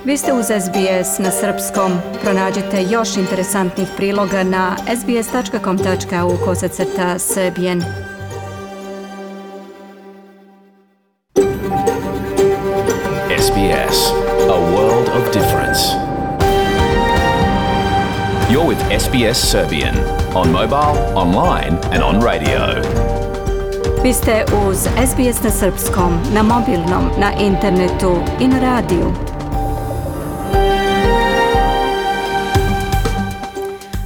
Vi ste uz SBS na srpskom. Pronađite još interesantnih priloga na sbs.com.au/serbian. SBS, a world of difference. You're with SBS Serbian on mobile, online and on radio. Vi ste uz SBS na srpskom, na mobilnom, na internetu i na radiju.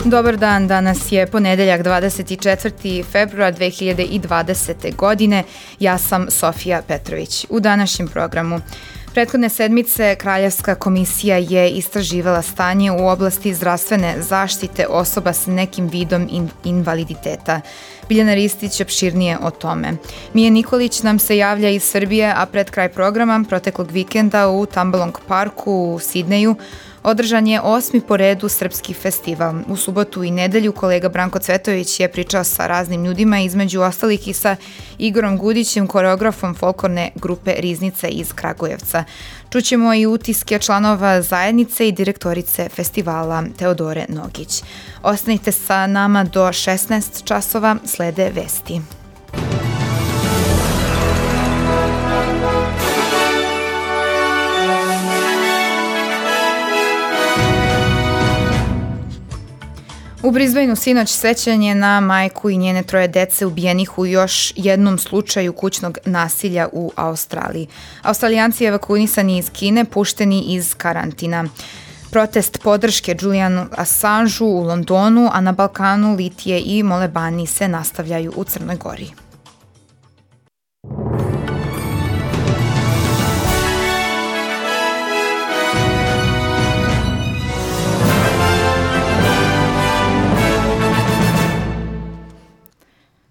Dobar dan, danas je ponedeljak 24. februar 2020. godine. Ja sam Sofija Petrović. U današnjem programu prethodne sedmice Kraljevska komisija je istraživala stanje u oblasti zdravstvene zaštite osoba s nekim vidom invaliditeta. Biljana Ristić opširnije o tome. Mija Nikolić nam se javlja iz Srbije, a pred kraj programa proteklog vikenda u Tambalong parku u Sidneju održan je 8. po redu srpski festival. U subotu i nedelju kolega Branko Cvetović je pričao sa raznim ljudima, između ostalih i sa Igorom Gudićem, koreografom folklorne grupe Riznica iz Kragujevca. Čućemo i utiske članova zajednice i direktorice festivala Teodore Nogić. Ostanite sa nama do 16 časova, slede vesti. U Brisbaneu sinoć sećanje na majku i njene 3 dece ubijenih u još jednom slučaju kućnog nasilja u Australiji. Australijanci evakuisani iz Kine pušteni iz karantina. Protest podrške Julianu Assangeu u Londonu, a na Balkanu litije i molebani se nastavljaju u Crnoj Gori.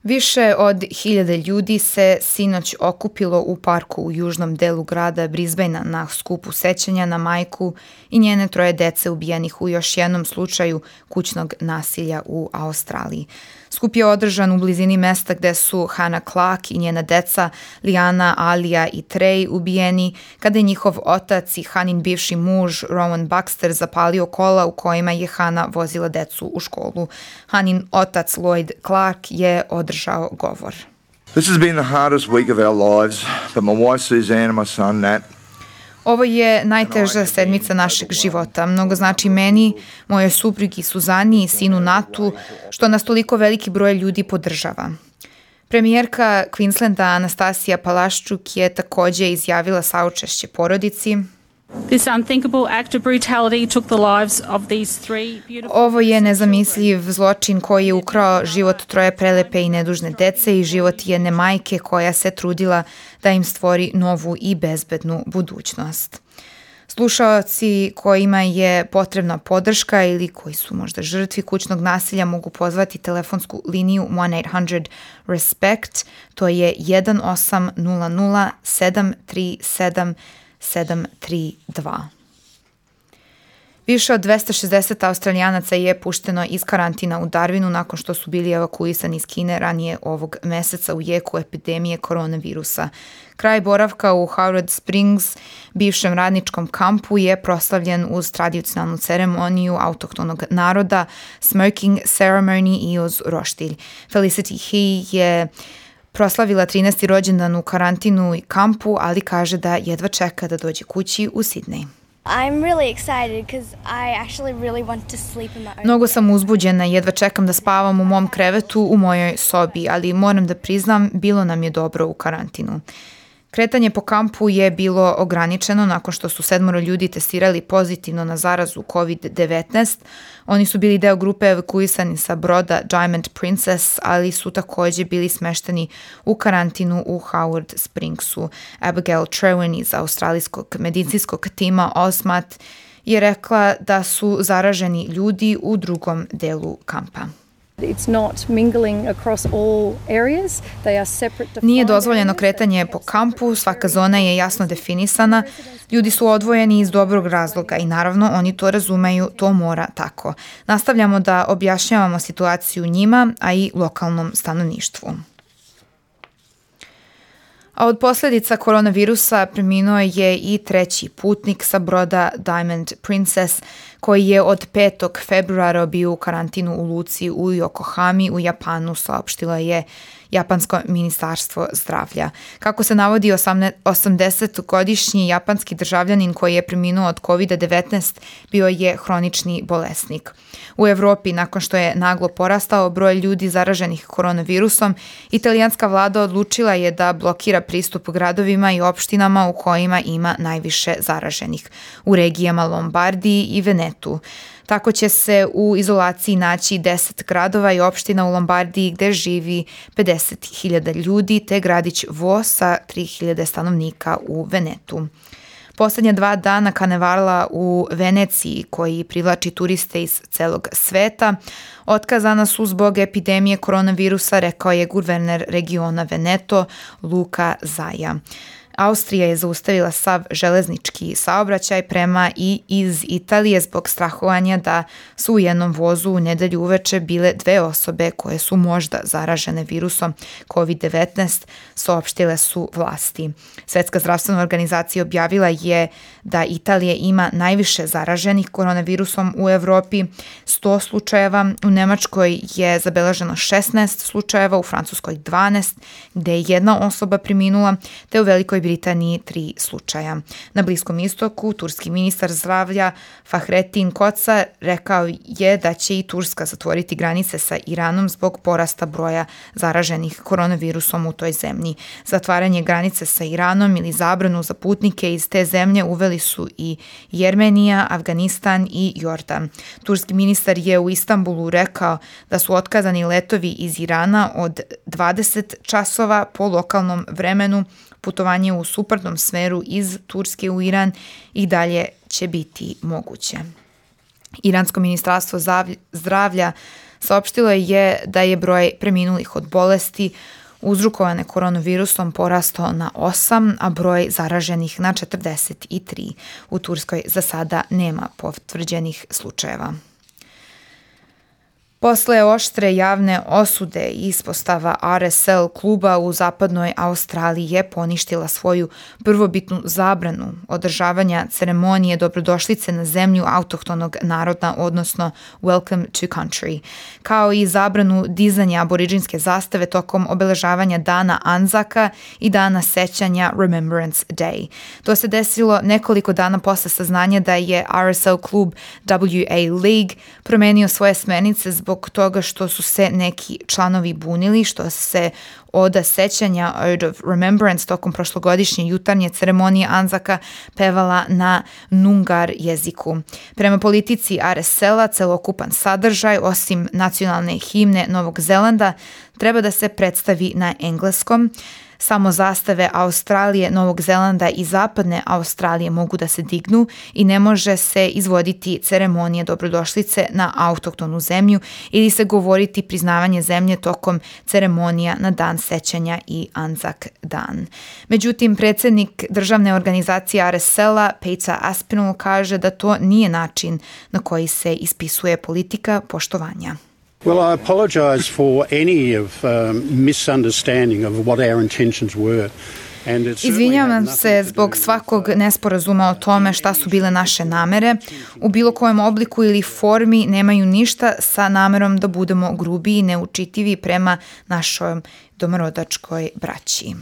Više od 1000 ljudi se sinoć okupilo u parku u južnom delu grada Brisbanea na skupu sećanja na majku i njene 3 dece ubijenih u još jednom slučaju kućnog nasilja u Australiji. Skup je održan u blizini mesta gde su Hannah Clark i njena deca Liana, Alija i Trey ubijeni kada je njihov otac i Hanin bivši muž Rowan Baxter zapalio kola u kojima je Hannah vozila decu u školu. Hanin otac Lloyd Clark je održao govor. This has been the hardest week of our lives, but my wife Suzanne and my son Nat. Ovo je najteža sedmica našeg života. Mnogo znači meni, mojoj suprugi Suzani i sinu Natu, što nas toliko veliki broj ljudi podržava. Premijerka Queenslanda Anastasija Palaščuk je takođe izjavila saučešće porodici. This unthinkable act of brutality took the lives of these 3 beautiful... Ovo je nezamisliv zločin koji je ukrao život 3 prelepe i nedužne dece i život jedne majke koja se trudila da im stvori novu i bezbednu budućnost. Slušaoci kojima je potrebna podrška ili koji su možda žrtvi kućnog nasilja mogu pozvati telefonsku liniju 1-800-RESPECT, to je 1800 737 732. Više od 260 Australijanaca je pušteno iz karantina u Darwinu nakon što su bili evakuisani iz Kine ranije ovog meseca u jeku epidemije koronavirusa. Kraj boravka u Howard Springs, bivšem radničkom kampu, je proslavljen uz tradicionalnu ceremoniju autohtonog naroda, smoking ceremony i uz roštilj. Felicity He je proslavila 13. rođendan u karantinu i kampu, ali kaže da jedva čeka da dođe kući u Sidney. I'm really excited because I actually really want to sleep in my own. Mnogo sam uzbuđena, jedva čekam da spavam u mom krevetu u mojoj sobi, ali moram da priznam, bilo nam je dobro u karantinu. Kretanje po kampu je bilo ograničeno nakon što su 7 ljudi testirali pozitivno na zarazu COVID-19. Oni su bili deo grupe evakuisani sa broda Diamond Princess, ali su takođe bili smešteni u karantinu u Howard Springsu. Abigail Trewin iz australijskog medicinskog tima OSMAT je rekla da su zaraženi ljudi u drugom delu kampa. Nije dozvoljeno kretanje po kampu, svaka zona je jasno definisana, ljudi su odvojeni iz dobrog razloga i naravno oni to razumeju, to mora tako. Nastavljamo da objašnjavamo situaciju njima, a i lokalnom stanovništvu. A od posljedica koronavirusa preminuo je i treći putnik sa broda Diamond Princess, koji je od 5. februara bio u karantinu u luci u Yokohami u Japanu, saopštilo je Japansko ministarstvo zdravlja. Kako se navodi, 80-godišnji japanski državljanin koji je preminuo od COVID-19 bio je hronični bolesnik. U Evropi, nakon što je naglo porastao broj ljudi zaraženih koronavirusom, italijanska vlada odlučila je da blokira pristup gradovima i opštinama u kojima ima najviše zaraženih, u regijama Lombardiji i Venetu. Tako će se u izolaciji naći 10 gradova i opština u Lombardiji gde živi 50.000 ljudi, te gradić Vo sa 3.000 stanovnika u Venetu. Poslednja 2 dana karnevala u Veneciji, koji privlači turiste iz celog sveta, otkazana su zbog epidemije koronavirusa, rekao je guverner regiona Veneto Luca Zaia. Austrija je zaustavila sav železnički saobraćaj prema i iz Italije zbog strahovanja da su u jednom vozu u nedelju uveče bile 2 osobe koje su možda zaražene virusom COVID-19, saopštile su vlasti. Svetska zdravstvena organizacija objavila je da Italija ima najviše zaraženih koronavirusom u Evropi, 100 slučajeva, u Nemačkoj je zabeleženo 16 slučajeva, u Francuskoj 12, gde je 1 osoba preminula, te u Velikoj Britaniji 3 slučaja. Na Bliskom istoku, turski ministar zdravlja Fahrettin Koca rekao je da će i Turska zatvoriti granice sa Iranom zbog porasta broja zaraženih koronavirusom u toj zemlji. Zatvaranje granice sa Iranom ili zabranu za putnike iz te zemlje uveli su i Jermenija, Afganistan i Jordan. Turski ministar je u Istanbulu rekao da su otkazani letovi iz Irana od 20 časova po lokalnom vremenu. Putovanje u suprotnom smeru iz Turske u Iran i dalje će biti moguće. Iransko ministarstvo zdravlja saopštilo je da je broj preminulih od bolesti uzrokovane koronavirusom porastao na 8, a broj zaraženih na 43. U Turskoj za sada nema potvrđenih slučajeva. Posle oštre javne osude, ispostava RSL kluba u zapadnoj Australiji je poništila svoju prvobitnu zabranu održavanja ceremonije dobrodošlice na zemlju autohtonog naroda, odnosno Welcome to Country, kao i zabranu dizanja aboriđinske zastave tokom obeležavanja dana Anzaka i dana sećanja Remembrance Day. To se desilo nekoliko dana posle saznanja da je RSL klub WA League promenio svoje smernice zbog toga što su se neki članovi bunili, što se oda sećanja Ode of Remembrance tokom prošlogodišnje jutarnje ceremonije Anzaka pevala na Noongar jeziku. Prema politici RSL-a, celokupan sadržaj, osim nacionalne himne Novog Zelanda, treba da se predstavi na engleskom. Samo zastave Australije, Novog Zelanda i Zapadne Australije mogu da se dignu i ne može se izvoditi ceremonija dobrodošlice na autohtonu zemlju ili se govoriti priznavanje zemlje tokom ceremonija na dan sećanja i Anzak dan. Međutim, predsjednik državne organizacije RSL-a, Peter Aspinall, kaže da to nije način na koji se ispisuje politika poštovanja. Well, I apologise for any of misunderstanding of what our intentions were. Izvinjavam se zbog svakog nesporazuma o tome šta su bile naše namere. U bilo kojem obliku ili formi nemaju ništa sa namerom da budemo grubi i neučitivi prema našoj domorodačkoj braći.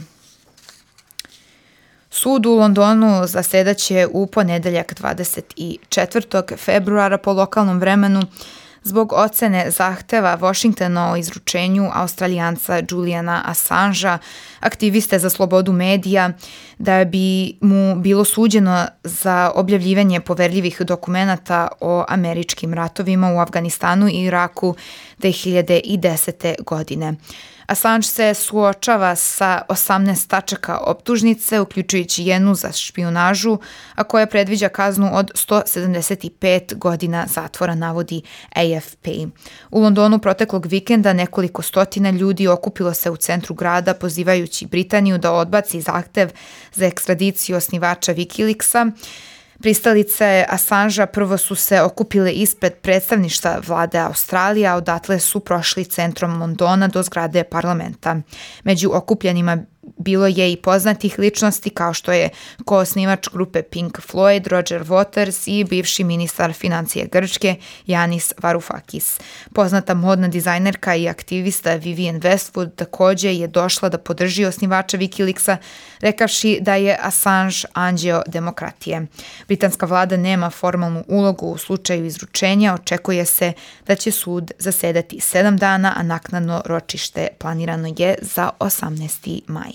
Sud u Londonu zasedaće u ponedeljak 24. februara po lokalnom vremenu zbog ocene zahteva Washingtona o izručenju Australijanca Juliana Assangea, aktiviste za slobodu medija, da bi mu bilo suđeno za objavljivanje poverljivih dokumenata o američkim ratovima u Afganistanu i Iraku 2010. godine. Assange se suočava sa 18 tačaka optužnice, uključujući jednu za špijunažu, a koja predviđa kaznu od 175 godina zatvora, navodi AFP. U Londonu proteklog vikenda nekoliko stotina ljudi okupilo se u centru grada pozivajući Britaniju da odbaci zahtev za ekstradiciju osnivača Wikileaksa. Pristalice Assangea prvo su se okupile ispred predstavništva vlade Australije, a odatle su prošli centrom Londona do zgrade parlamenta. Među okupljenima bilo je i poznatih ličnosti kao što je koosnivač grupe Pink Floyd Roger Waters i bivši ministar financije Grčke Yanis Varoufakis. Poznata modna dizajnerka i aktivista Vivienne Westwood takođe je došla da podrži osnivača Wikileaksa, rekavši da je Assange anđeo demokratije. Britanska vlada nema formalnu ulogu u slučaju izručenja, očekuje se da će sud zasedati 7 dana, a naknadno ročište planirano je za 18. maj.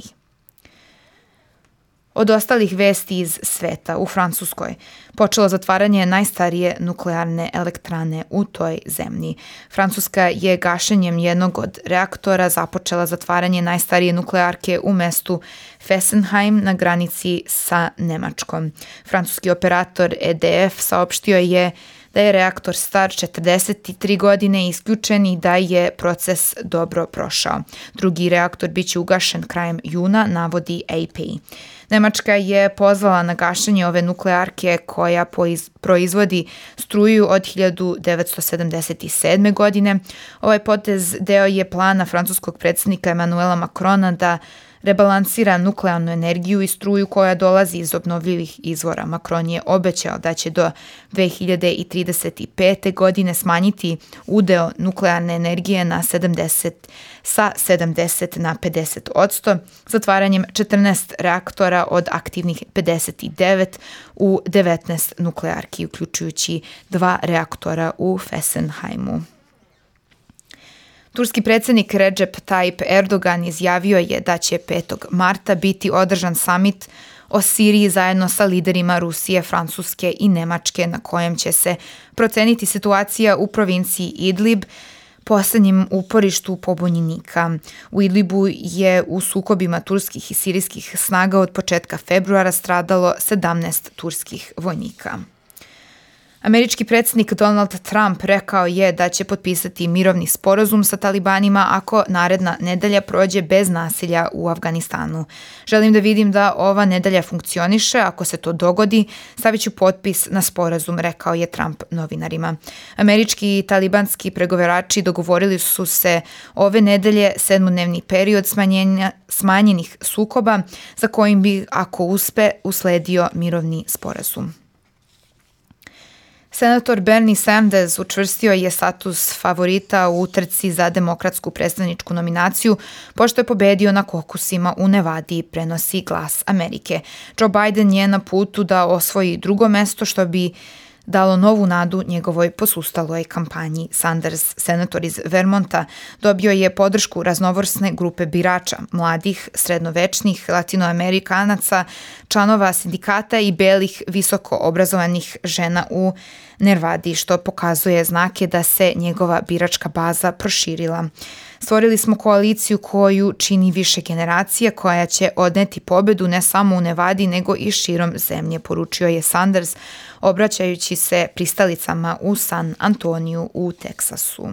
Od ostalih vesti iz sveta, u Francuskoj počelo zatvaranje najstarije nuklearne elektrane u toj zemlji. Francuska je gašenjem jednog od reaktora započela zatvaranje najstarije nuklearke u mestu Fessenheim na granici sa Nemačkom. Francuski operator EDF saopštio je da je reaktor star 43 godine isključen i da je proces dobro prošao. Drugi reaktor biće ugašen krajem juna, navodi AP. Nemačka je pozvala na gašenje ove nuklearke koja proizvodi struju od 1977. godine. Ovaj potez deo je plana francuskog predsjednika Emmanuela Macrona da rebalansira nuklearnu energiju i struju koja dolazi iz obnovljivih izvora. Macron je obećao da će do 2035. godine smanjiti udeo nuklearne energije sa 70 na 50%, zatvaranjem 14 reaktora od aktivnih 59 u 19 nuklearki, uključujući 2 reaktora u Fessenheimu. Turski predsjednik Recep Tayyip Erdogan izjavio je da će 5. marta biti održan samit o Siriji zajedno sa liderima Rusije, Francuske i Nemačke, na kojem će se proceniti situacija u provinciji Idlib, poslednjem uporištu pobunjenika. U Idlibu je u sukobima turskih i sirijskih snaga od početka februara stradalo 17 turskih vojnika. Američki predsjednik Donald Trump rekao je da će potpisati mirovni sporazum sa talibanima ako naredna nedelja prođe bez nasilja u Afganistanu. Želim da vidim da ova nedelja funkcioniše, ako se to dogodi, stavit ću potpis na sporazum, rekao je Trump novinarima. Američki i talibanski pregovarači dogovorili su se ove nedelje 7-dnevni period smanjenih sukoba za kojim bi, ako uspe, usledio mirovni sporazum. Senator Bernie Sanders učvrstio je status favorita u utrci za demokratsku predstavničku nominaciju, pošto je pobedio na kokusima u Nevadi, prenosi Glas Amerike. Joe Biden je na putu da osvoji drugo mesto, što bi dalo novu nadu njegovoj posustaloj kampanji. Sanders, senator iz Vermonta, dobio je podršku raznovrsne grupe birača, mladih, srednovečnih, latinoamerikanaca, članova sindikata i belih visoko obrazovanih žena u Nevadi, što pokazuje znake da se njegova biračka baza proširila. Stvorili smo koaliciju koju čini više generacija, koja će odneti pobedu ne samo u Nevadi, nego i širom zemlje, poručio je Sanders, obraćajući se pristalicama u San Antoniju u Teksasu.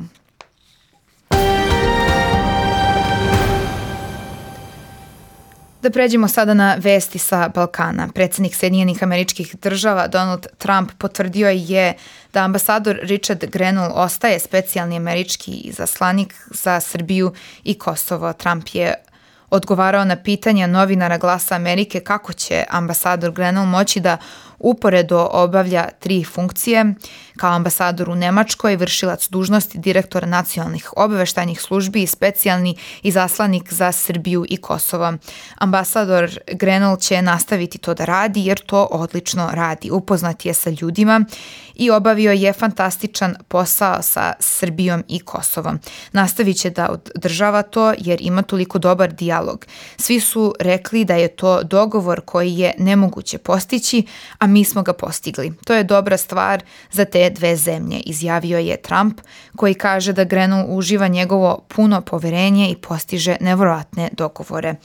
Da pređemo sada na vesti sa Balkana. Predsjednik Sjedinjenih Američkih Država Donald Trump potvrdio je da ambasador Richard Grenell ostaje specijalni američki izaslanik za Srbiju i Kosovo. Trump je odgovarao na pitanja novinara Glasa Amerike kako će ambasador Grenell moći da uporedo obavlja 3 funkcije, kao ambasador u Nemačkoj, vršilac dužnosti direktora nacionalnih obaveštajnih službi i specijalni izaslanik za Srbiju i Kosovo. Ambasador Grenell će nastaviti to da radi jer to odlično radi. Upoznat je sa ljudima i obavio je fantastičan posao sa Srbijom i Kosovom. Nastavit će da održava to jer ima toliko dobar dijalog. Svi su rekli da je to dogovor koji je nemoguće postići, a mi smo ga postigli. To je dobra stvar za te dve zemlje, izjavio je Trump, koji kaže da Grenell uživa njegovo puno poverenje i postiže nevjerovatne dogovore.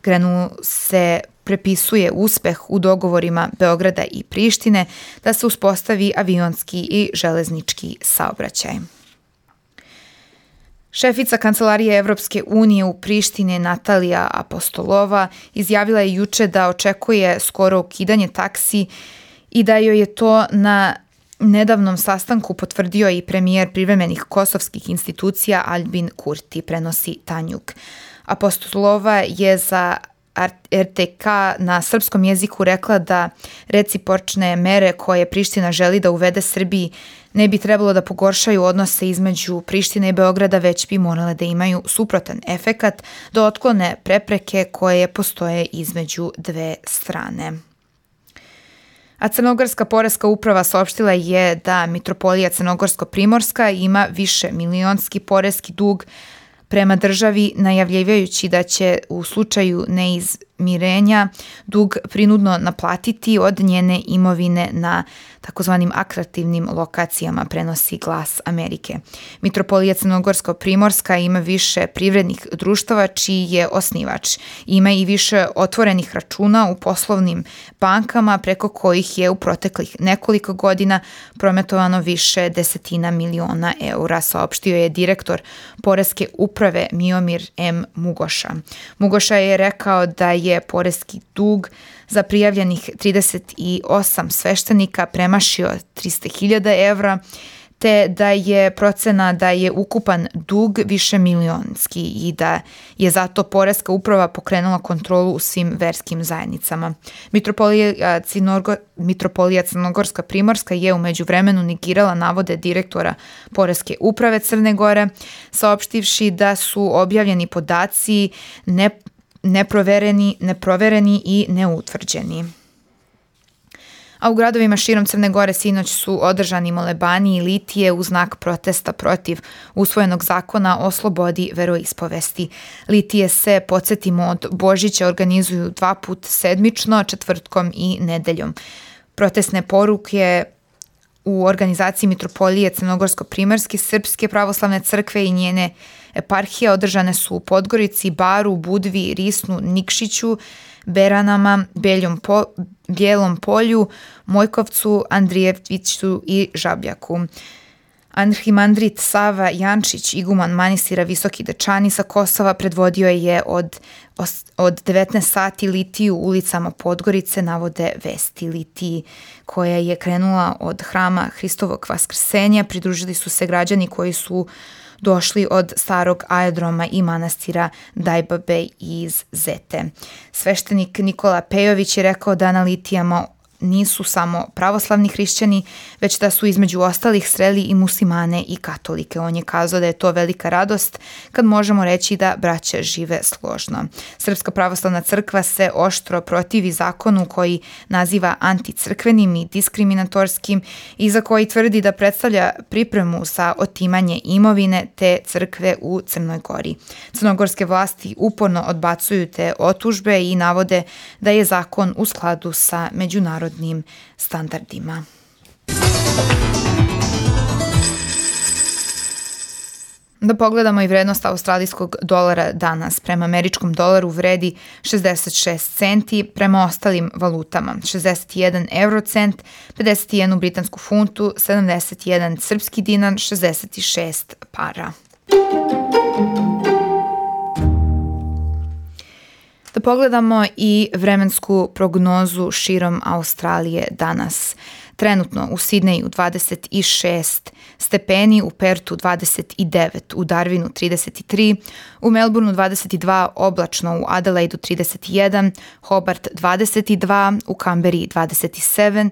Grenell se prepisuje uspeh u dogovorima Beograda i Prištine da se uspostavi avionski i železnički saobraćaj. Šefica Kancelarije Evropske unije u Prištini Natalija Apostolova izjavila je juče da očekuje skoro ukidanje taksi i da joj je to na nedavnom sastanku potvrdio i premijer privremenih kosovskih institucija Albin Kurti, prenosi Tanjuk. Apostolova je za RTK na srpskom jeziku rekla da recipročne mere koje Priština želi da uvede Srbiji ne bi trebalo da pogoršaju odnose između Prištine i Beograda, već bi morale da imaju suprotan efekat, da otklone prepreke koje postoje između dve strane. A Crnogorska poreska uprava saopštila je da Mitropolija Crnogorsko-Primorska ima više milionski poreski dug prema državi, najavljivajući da će u slučaju neizmirenja dug prinudno naplatiti od njene imovine na takozvanim atraktivnim lokacijama, prenosi Glas Amerike. Mitropolija Crnogorsko-Primorska ima više privrednih društava čiji je osnivač. Ima i više otvorenih računa u poslovnim bankama preko kojih je u proteklih nekoliko godina prometovano više desetina miliona eura, saopštio je direktor poreske uprave Miomir M. Mugoša. Mugoša je rekao da je poreski dug za prijavljenih 38 sveštenika premašio 300.000 evra, te da je procena da je ukupan dug više milionski i da je zato poreska uprava pokrenula kontrolu u svim verskim zajednicama. Mitropolija Crnogorska-Primorska je u međuvremenu negirala navode direktora poreske uprave Crne Gore, saopštivši da su objavljeni podaci neprovereni i neutvrđeni. A u gradovima širom Crne Gore sinoć su održani molebani i litije u znak protesta protiv usvojenog zakona o slobodi veroispovesti. Litije se, podsjetimo, od Božića organizuju 2 puta sedmično, četvrtkom i nedeljom. Protestne poruke u organizaciji Mitropolije Crnogorsko-Primorske, Srpske pravoslavne crkve i njene eparhije održane su u Podgorici, Baru, Budvi, Risnu, Nikšiću, Beranama, Bijelom Polju, Mojkovcu, Andrijeviću i Žabljaku. Arhimandrit Sava Jančić, iguman manastira Visoki Dečani sa Kosova, predvodio je od 19 sati litiju ulicama Podgorice, navode Vesti. Litiji koja je krenula od hrama Hristovog Vaskrsenja pridružili su se građani koji su došli od starog aerodroma i manastira Dajbabe iz Zete. Sveštenik Nikola Pejović je rekao da na litijama nisu samo pravoslavni hrišćani, već da su između ostalih sreli i muslimane i katolike. On je kazao da je to velika radost kad možemo reći da braća žive složno. Srpska pravoslavna crkva se oštro protivi zakonu koji naziva anticrkvenim i diskriminatorskim i za koji tvrdi da predstavlja pripremu za otimanje imovine te crkve u Crnoj Gori. Crnogorske vlasti uporno odbacuju te otužbe i navode da je zakon u skladu sa međunarodnim standardima. Da pogledamo i vrednost australijskog dolara danas. Prema američkom dolaru vredi 66 centi, prema ostalim valutama 61 eurocent, 51 britansku funtu, 71 srpski dinar, 66 para. Da pogledamo i vremensku prognozu širom Australije danas. Trenutno u Sidneju 26 stepeni, u Pertu 29, u Darwinu 33, u Melbourneu 22, oblačno u Adelaidu 31, Hobart 22, u Kamberi 27,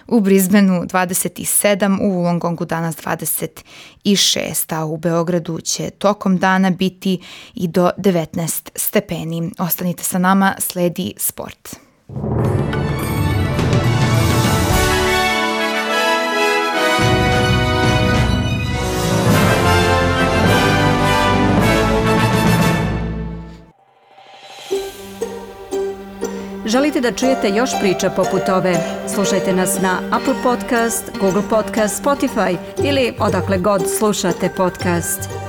u Brisbaneu 27, u Wollongongu danas 26, a u Beogradu će tokom dana biti i do 19 stepeni. Ostanite sa nama, sledi sport. Želite da čujete još priča poput ove? Slušajte nas na Apple Podcast, Google Podcast, Spotify ili odakle god slušate podcast.